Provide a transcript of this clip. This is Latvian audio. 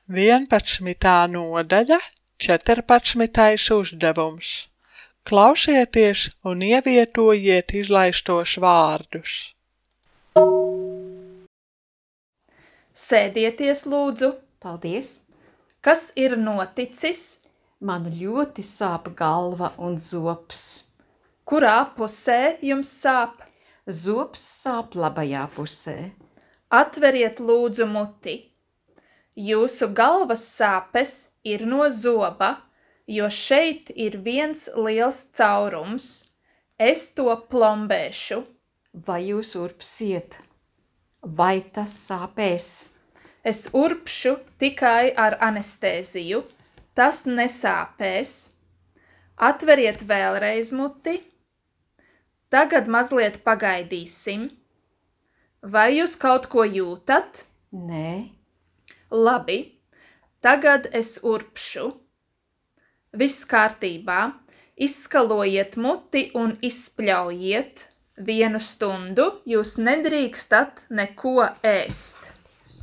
11. nodaļa, 14. uzdevums. Klausieties un ievietojiet izlaistos vārdus. Sēdieties, lūdzu. Paldies! Kas ir noticis? Man ļoti sāp galva un zops. Kurā pusē jums sāp? Zops sāp labajā pusē. Atveriet lūdzu muti. Jūsu galvas sāpes ir no zoba, jo šeit ir viens liels caurums. Es to plombēšu. Vai jūs urpsiet? Vai tas sāpēs? Es urpšu tikai ar anestēziju. Tas nesāpēs. Atveriet vēlreiz muti. Tagad mazliet pagaidīsim. Vai jūs kaut ko jūtat? Nē. Labi, tagad es urpšu. Viss kārtībā. Izskalojiet muti un izspļaujiet. 1 stundu jūs nedrīkstat neko ēst.